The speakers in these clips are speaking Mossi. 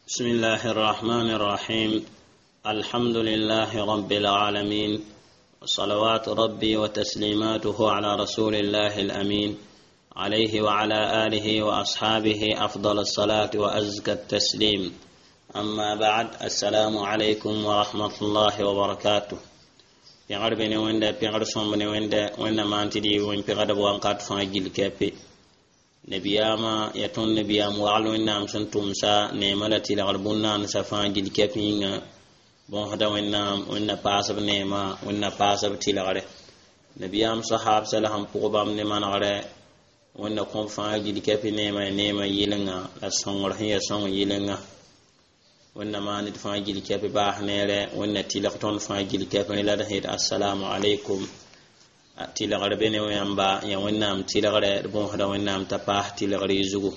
بسم الله الرحمن الرحيم. الحمد لله رب العالمين، وصلوات ربي وتسليماته على رسول الله الأمين، عليه وعلى آله وأصحابه أفضل الصلاة وأزكى التسليم. أما بعد، السلام عليكم ورحمة الله وبركاته. Pẽgr be ne Wẽnda, pẽgr sõmb ne Wẽnda. Wẽnna maan tɩ dɩ wẽn pẽgdb wãnkat fãa gill kɛpe. Nabiyaamã yaa tõnd nabiyaam wagl Wẽnnaam sẽn tʋmsa neemã la tɩlgr bũn-naandsã fãa gill kɛp yĩnga. Bõsda Wẽnnaam, Wẽnna paasb neemã, Wẽnna paasb tɩlgre. Nabiyaam sahaabsã la sẽn pʋg bãmb ne manegrɛ, Wẽnna kõb fãa gill kɛpɩ neemã, ya neemã yɩlenga la sõngr sẽn ya sõng yɩlenga. Wẽnna maan d fãa gill kɛpɩ baas neere, Wẽnna tɩlg tõnd fãa gill kɛpẽ. La d sẽn assalamu alaikum, tɩlgr be ne yãmba, ya Wẽnnaam tɩlgrɛ. D bõosda Wẽnnaam t'a paas tɩlgr y zugu.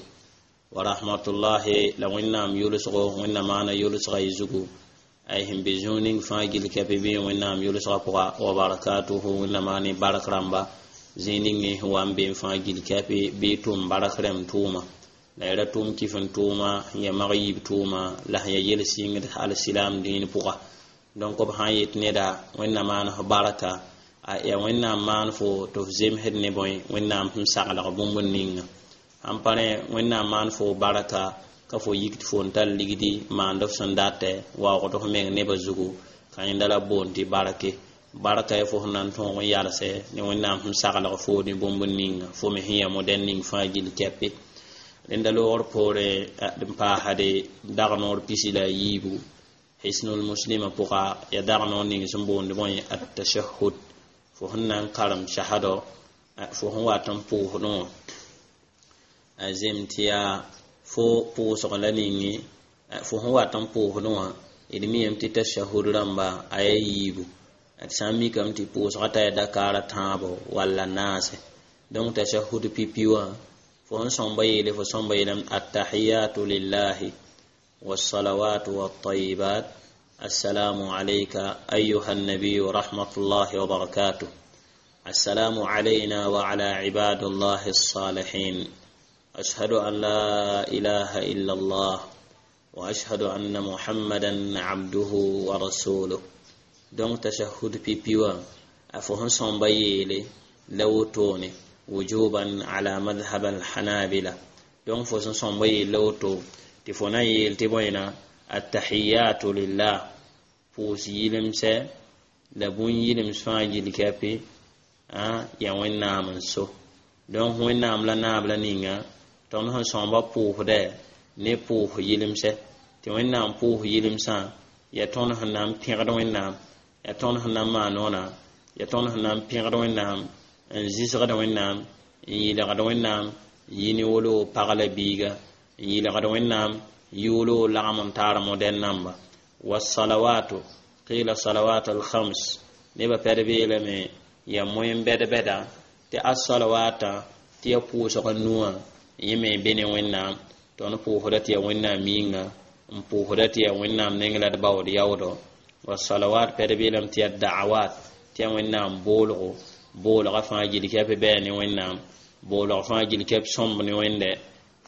Wa rahmatullahi, la Wẽnnaam yʋlsgo, Wẽnna maana yʋlsga y zugu. Ay sẽn be zũu ning fãa gill kɛpɩ bɩ Wẽnnaam yʋlsga pʋga. Wa barakatuhu, Wẽnna maan bark rãmba zĩig ning sẽn wa n be n fãa gill kɛpɩ bɩ tʋm bark rẽmb tʋʋma la y ra tʋm kɩf n tʋʋma sẽn ya mag yiib tʋʋma la sẽn ya yel sɩngd alsilam dĩin pʋga. Donc b sã n yet neda Wẽnna maan f barka, a ya Wẽnnaam maan fo tɩ f zemsd ne bõe? Wẽnnaam sẽn saglg bũmb ninga. Sãn pa rẽ, Wẽnnaam maan fo barka ka fo yik tɩ fo n tar ligdi maand f sẽn datɛ waoogd f meng nebã zugu, ka yẽnda la boond tɩ barke. Barka ya fo sẽn na n tõog n yalsɛ ne Wẽnnaam sẽn saglg fo ne bũmb ninga, fo me sẽn ya modɛn ning fãa gill kɛpe. Rẽnda loogr poorẽ n paasde dag noor 14 Hisnul Muslima pʋga, ya dag noor ning sẽn boond bõe? Attashahud. Fo sẽn na n karem shahado, fo sẽn wat n pʋʋsdẽ wã a zem tɩ yaa fo pʋʋsg la ninge fo sẽn wat n pʋʋsdẽ wã. D miyame tɩ tashahud rãmba a yaa yiibu. D sã n mikame tɩ pʋʋsga t'a yaa dakaara tãabo walla naase. Donc tashahud pipi wã, fo sẽn sõmba yeele, fo sõmba yeelame: attahiyatu lillahi wassalawatu wattayibat, assalamu alayka ayuha النبي ورحمة الله وبركاته، السلام علينا وعلى عباد الله الصالحين، أشهد أن لا إله إلا الله وأشهد أن محمدا عبده ورسوله. Donc tashahud pipi wã, a fo sẽn sõmba yeele la wotone wujuban ala madhhab alhanabila. Donc fo sẽn sõmba yeel la woto tɩ fo na n yeel tɩ bõena attahiyatu lillah, pʋʋs yilemsɛ la bũn yilems fãa gill kɛpɩ yaa Wẽnnaam n so. Donc Wẽnnaam la naab la ninga tõnd sẽn sõmba pʋʋsdɛ ne pʋʋs yilemsɛ tɩ Wẽnnaam pʋʋs yilemsã yaa tõnd sẽn na n pẽgd Wẽnnaam, yaa tõnd sẽn na n maan wãna, yaa tõnd sẽn na n pẽgd Wẽnnaam, n zɩsgd Wẽnnaam, n yɩlgd Wẽnnaam, yi ne wolo pag la biiga, n yɩlgd Wẽnnaam yʋʋlo lagm n taar modɛn namba. Wasalawatu, qila salawat alkhams, nebã pɛd beelame yaa moen bɛd-bɛda tɩ asalawata tɩ ya pʋʋsg nuwã yẽ me be ne Wẽnnaam. Tõnd pʋʋsda tɩ yaa Wẽnnaam yĩnga n pʋʋsda tɩ yaa Wẽnnaam neng la d baood yaoodo. Wasalawat, pɛd beelame tɩ yaa da'awat, tɩ yaa Wẽnnaam boolgo, boolga fãa gill kɛp bɛɛ ne Wẽnnaam, boolg fãa gill kɛp sõmb ne Wẽnde.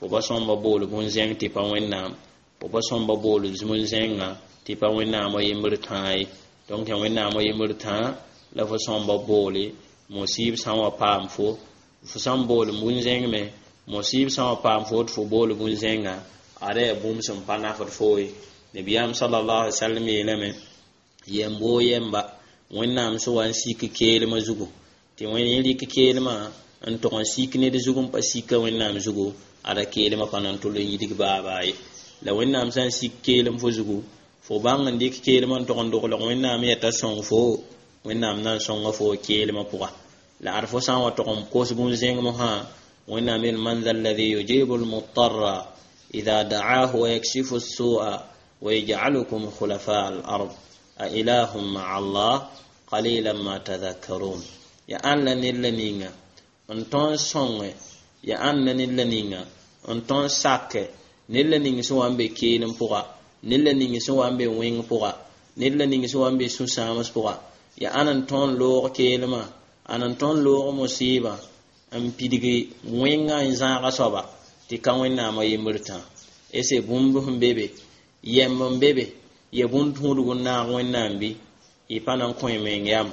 Fo pa sõmba bool bũn-zẽng tɩ pa Wẽnnaam, fo pa sõmba bool bũn-zẽngã tɩ pa Wẽnnaam yembr tãa ye. Donc yaa Wẽnnaam yembr tãa la fo sõmba boole. Musiib sã n wa paam fo, fo sã n bool bũn-zẽng me, musiib sã n wa paam fo tɩ fo bool bũn-zẽnga, ada yaa bũmb sẽn pa nafd fo ye. Nabiyaam sallallahu alaihi wasallam yeelame: yɛm boo yɛmba, Wẽnnaam sẽn wa n sik keelmã zugu, tɩ wẽn yẽ rɩk keelmã n tog n sik ned zug n pa sika Wẽnnaam zugu, ada keelmã pa na n tʋl n yidg baabaa ye. La Wẽnnaam sã n sik keelem fo zugu, fo bãng n dɩk keelmã n tog n doglg Wẽnnaam yɛta sõng fo, Wẽnnaam na n sõnga fo keelmã pʋga. La ad fo sã n wa tog n kos bũn-zẽng mosã, Wẽnnaam yel: man dha alladhi yujibu almutarra idha da'ahu wa yakshifu as-su'a wa yaj'alukum khulafa al-ard, a ilahum ma'a Allah, qalilan ma tadhakkarun. Ya ãn la ned la ninga n tõe n sõnge, ya ãn la ned la ninga n tõe n sake ned la ning sẽn wa n be keelem pʋga, ned la ning sẽn wa n be wẽng pʋga, ned la ning sẽn wa n be sũ-sãams pʋga, ya ãn n tõe n loog keelmã, ãn n tõe n loog musɩɩbã, n pidgi wẽngã n zãaga soaba tɩ ka Wẽnnaamã yembr tã. Ese bũmb sẽn be be Yɛmb n be be ya bũn-tũudg n naag Wẽnnaam bɩ y pa na n kõ y meng yam.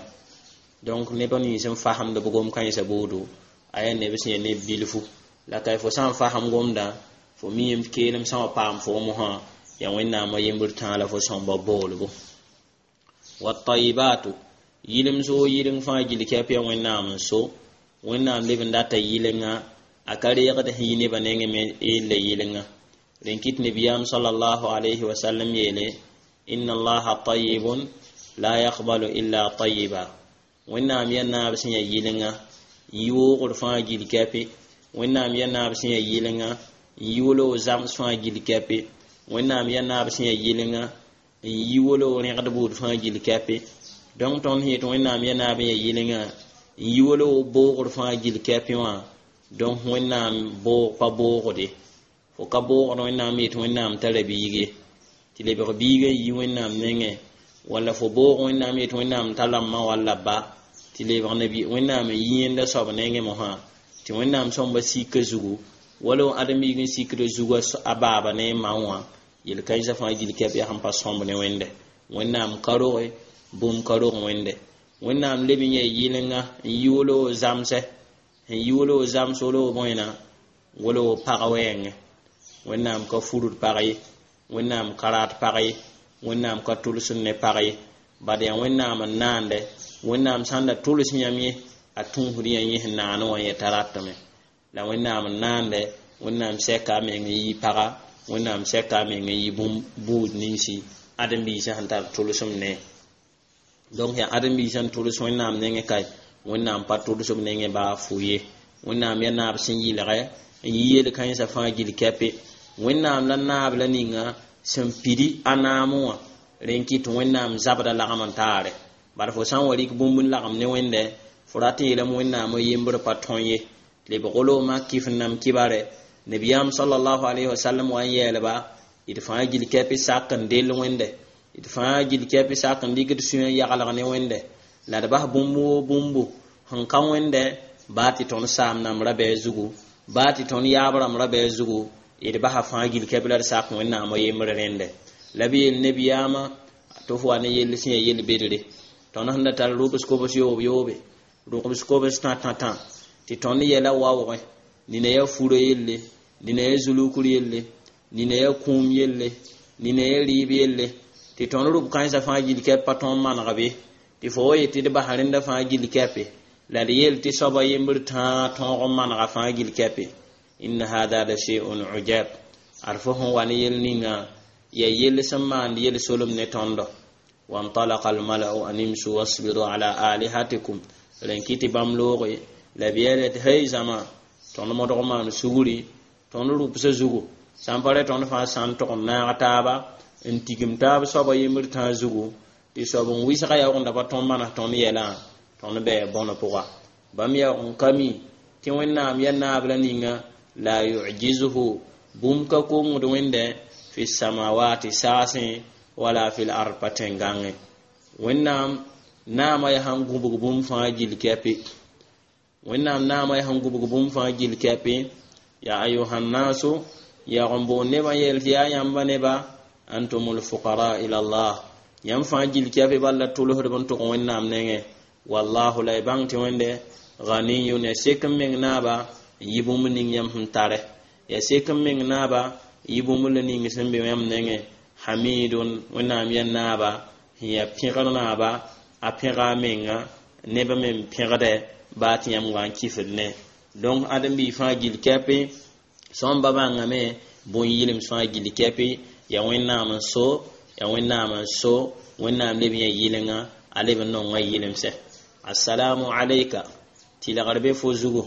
Donc neb nins n fasemd b gom-kãensã buudu, a yaa neb sẽn yaa neb bilfu la ka fo sã n fasem gomdã, fo miime tɩ keelem sã wa paam foom mosã, yaa Wẽnnaamã yembr tãa la fo sõmba boolbo. Watayibatu, yɩlems woo yɩleng fãa gill kɛp yaa Wẽnnaam n so. Wẽnnaam leb n data yɩlenga, a ka reegd sẽn yi nebã nengẽ me yella yɩlenga. Rẽn kɩt nabiyaam sallallahu alayhi wa sallam yeele: inna allaha tayibun la yaqbalu illa tayiba. Wẽnnaam yaa naab sẽn yaa yɩlenga n yi woogr fãa gill kɛpe. Wẽnnaam yaa naab sẽn yaa yɩlenga n yi wolo zams fãa gill kɛpe. Wẽnnaam yaa naab sẽn yaa yɩlenga n yi wolo rẽgd buud fãa gill kɛpe. Donc tõnd sẽn yet Wẽnnaam yaa naab n yaa yɩlenga n yi wolo boogr fãa gill kɛpe wã, donc Wẽnnaam boog pa boogde. Fo ka boogd Wẽnnaam yet Wẽnnaam tara biig ye, tɩ lebg biigã yi Wẽnnaam nengẽ, walla fo boog Wẽnnaam yet Wẽnnaam tara ma walla ba, tɩ lebg nabi Wẽnnaam n yi yẽnda soab nengẽ mosã, tɩ Wẽnnaam sõmba sika zugu, wala ãdem-biig n sikda zugu a baaba ne a ma wã. Yel-kãensã fãa gill kɛp yaa sẽn pa sõmb ne Wẽnde. Wẽnnaam ka roge, bũmb ka rog Wẽnde. Wẽnnaam leb n yaa yɩlenga n yi wolo zamsɛ, n yi wolo zams wolo bõena wolo pag wɛɛngẽ. Wẽnnaam ka furd pag ye, Wẽnnaam ka rat pag ye, Wẽnnaam ka tʋlsd ne pag ye, bad yaa Wẽnnaam n naande. Wẽnnaam sãn da tʋls yãmb ye, a tũusd yã yẽ sẽn naane wã yetã ratame. La Wẽnnaam n naande, Wẽnnaam sɛka a meng n yi paga, Wẽnnaam sɛka a meng n yi bũmb buud ninsi ãdem-biisã sẽn tar tʋlsem ne. Donc yaa ãdem-biisã n tʋls Wẽnnaam nengẽ kae, Wẽnnaam pa tʋls b nengẽ baa fu ye. Wẽnnaam yaa naab sẽn yɩlgɛ n yi yel-kãensã fãa gill kɛpe. Wẽnnaam la naab la ninga sẽn pidi a naam wã, rẽn kɩt Wẽnnaam zabda lagm n taare. Bala fo sã n wa rɩk bũmb n lagem ne Wẽnde, fo rat n yeelame Wẽnnaam yembr pa tõe ye, lebg wolo mak kɩf n nam kibare. Nabiyaam sallallahu alayhi wa sallam wa n yɛɛlba d fãa gill kɛpɩ sak n dell Wẽnde, d fãa gill kɛpɩ sak n dɩk d sũyã yaglg ne Wẽnde, la d bas bũmb woo bũmbu sẽn ka Wẽnde, baa tɩ tõnd saam namb ra-bɛɛ zugu, baa tɩ tõnd yaab rãmb ra-bɛɛ zugu, d basa fãa gill kɛpɩ la d sak Wẽnnaamã yembr rẽndɛ. La b yeel nabiyaamã tɩ f wa ne yell sẽn yaa yel-bedre. Tõnd sẽn da tar rʋbs kobs yoob yoobe, rʋbs kobs tã tã tã, tɩ tõnd yɛla waoogẽ, nina yaa furã yelle, nina yaa zulukr yelle, nina yaa kũum yelle, nina yaa rɩɩb yelle, tɩ tõnd rʋb kãensã fãa gill kɛp pa tõog maneg be, tɩ fo wa yetɩ d bas rẽnda fãa gill kɛpe, la d yeel tɩ soaba yembr tãa tõog n manega fãa gill kɛpe. Inna hada la shay'un ujab. Ad fo sẽn wa ne yel ninga yaa yell sẽn maand yel solem ne tõndo. Wantalaka almalau an imsu wasbiru ala alihatikum. Rẽn kɩ tɩ bãmb looge la b yeele tɩ hey zãma, tõnd modg maan sugri, tõnd rʋbsã zugu sã n pa rɛ, tõnd fãa sã n tog n naag taaba n tigim taab soaba yembr tãa zugu, tɩ soab n wɩsga yaoogenda pa tõnd manes tõnd yɛlã, tõnd bɛɛ bõne pʋga. Bãmb yaoog n ka mi tɩ Wẽnnaam yaa naab la ninga la yujizuhu, bũmb ka kongd Wẽnde fi samawati saasẽ wala fil ard pa tẽn-gãngẽ. Wẽnnaam naamã yaa sãn gũbg bũmb fãa gill kɛpe. Wẽnnaam naamã yaa sẽn gũbg bũmb fãa gill kɛpe. Ya ayuhannasu, yaag n boond nebã yeel tɩ yaa yãmba neba, antumul fuqara ila Allah, yãmb fãa gill kɛpe bal la tʋlsdb n tʋg Wẽnnaam nengẽ. Wallahu, la y bãng tɩ Wẽnde ghaniyun, ya sek n meng naaba n yi bũmb ning yãmb sẽn tare, ya sek n meng naaba n yi bũmb la ning sẽn be yãmb nengẽ. Hamidun, Wẽnnaam yaa naaba sẽn yaa pẽgr naaba, a pẽga a menga neb me n pẽgdɛ baa tɩ yãmb wa n kifd ne. Donc ãdem-biig fãa gill kɛpe sõmba bãngame bũn-yɩlems fãa gill kɛpe yaa Wẽnnaam n so, yaa Wẽnnaam n so. Wẽnnaam leb yã yɩlenga, a leb n nonga yɩlemsɛ. Assalamu alayka, tɩlgr be fo zugu,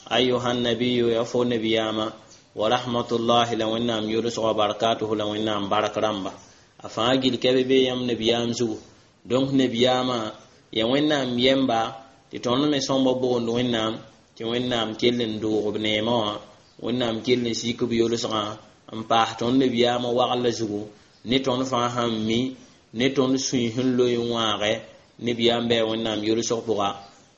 ayuha nabiyu, ya fo nabiyaamã, wa rahmatullahi, la Wẽnnaam yʋlsg, wa barakatuhu, la Wẽnnaam bark rãmba, a fãa gill kɛbe be yãmb nabiyaam zugu. Donc nabiyaamã yaa Wẽnnaam yɛmba, tɩ tõnd me sõmba boond Wẽnnaam tɩ Wẽnnaam kell n doog b neemã wã, Wẽnnaam kell n sik b yolsgã n paas tõnd nabiyaamã wagl zugu ne tõnd fãa sãn mi ne tõnd sũy sẽn loe n wãagɛ nabiyaam bɩ Wẽnnaam yolsg pʋga.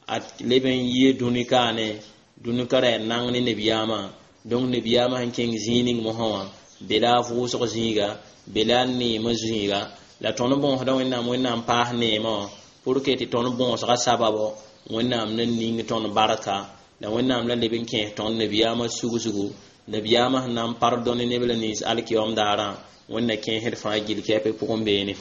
A leb n yie dũni kaane, dũni ka ra yaa nang ne nabiyaamã. Donc nabiyaamã sẽn kẽng zĩig ning mosã wã, be la a vʋʋsg zĩiga. Be la neemã zĩiga la tõnd bõosda Wẽnnaam, Wẽnnaam paas neemã wã pour que tɩ tõnd bõosga sababo Wẽnnaam na ning tõnd barka la Wẽnnaam la leb n kẽes tõnd nabiyaamã sugsgu, nabiyaamã sẽn na n pardonne neb la nins alkiyom daarã. Wẽnna kẽesd fãa gill kɛpɛ pʋgẽ beene.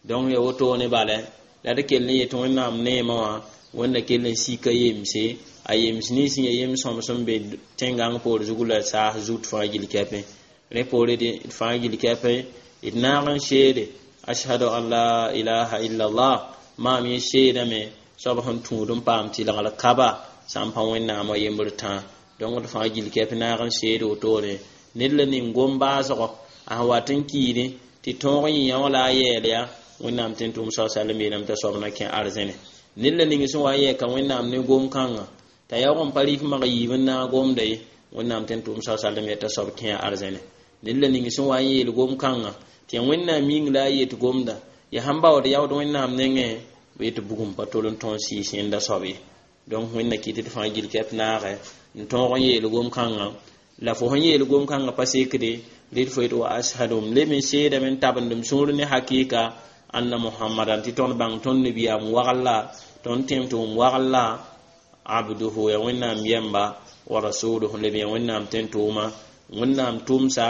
Donc ya wotone bala la d kell n yetɩ Wẽnnaam neemã wã Wẽnna kell n sika yemse, a yems nins n ya yem sõm sẽn be tẽn-gãng poor zugu la saas zut fãa gill kɛpẽ. Rẽ poore d fãa gill kɛpẽ d naag n seede ashhadu an la ilaha illallah, maam yẽ seedame soab sẽn tũud n paam tɩlgr kaba sã n pa Wẽnnaamã yembr tãa. Donc d fãa gill kɛp naag n seed wotone ned la ning gom baasgɔ a sẽn wat n kiidẽ tɩ tõog n yẽ yã wã la a yɛɛl ya Wẽnnaam tẽn tʋʋm sa salem yeelame t'a soab na kẽ arzẽne. Ned la ning sẽn wa n yɛɛka Wẽnnaam ne gom-kãngã t'a yaoog n pa rɩf mag yiib n naag gomda ye, Wẽnnaam tẽn tʋʋm sa salem yaa t'a soab kẽ arzẽne. Ned la ning sẽn wa n yeel gom-kãngã tɩ yaa Wẽnnaam yĩng la a yet gomda ya sãn baood yaood Wẽnnaam nengẽ bɩ tɩ bugum pa tol n tõog sɩɩs yẽnda soab ye. Donc Wẽnna kɩt tɩ fãa gill kɛp naagɛ n tõog n yeel gom-kãngã la fo sẽn yeel gom-kãngã pa sekde rɩd fo yet wa ashhadu, m leb n seedame n tabend m sũur ne hakɩɩka anna Muhammadan, tɩ tõnd bãng tõnd nabiyaam wagl la tõnd tẽem tɩ wʋm wagl la abduhu, ya Wẽnnaam yɛmba, wa rasuluhu, leb ya Wẽnnaam tẽn-tʋʋma, Wẽnnaam tʋmsa.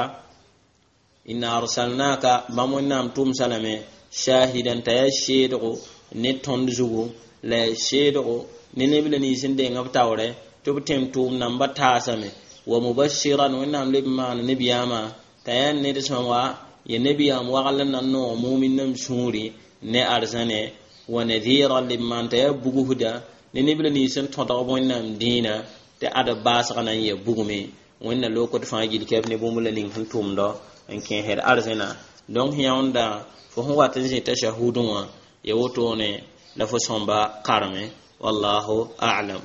Inna arsalnaka, bãmb Wẽnnaam tʋmsa lame shahidan, t'a yaa seedgo ne tõnd zugu la ya seedgo ne neb la nins n deng b taoorɛ tɩ b tẽm tʋʋm namba taasame, wa mubashiran, Wẽnnaam leb n maana nebiyaamã t'a yaa ned sẽn wa ya nebiyaam wagl n na n noog mumin nem sũuri ne arzãne, wa nadhiran, leb maan t'a yaa bugsda ne neb la nins n tõdg b Wẽnnaam dĩinã tɩ ad baasg na n ya bugme. Wẽnna lokd fãa gill kɛp ne bũmb la ning sẽn tʋmdɔ n kẽesd arzẽna. Donc yãonda fo sẽn wat n zĩ tashahudẽ wã ya wotone la fo sõmba kareme. Wallahu a'lam.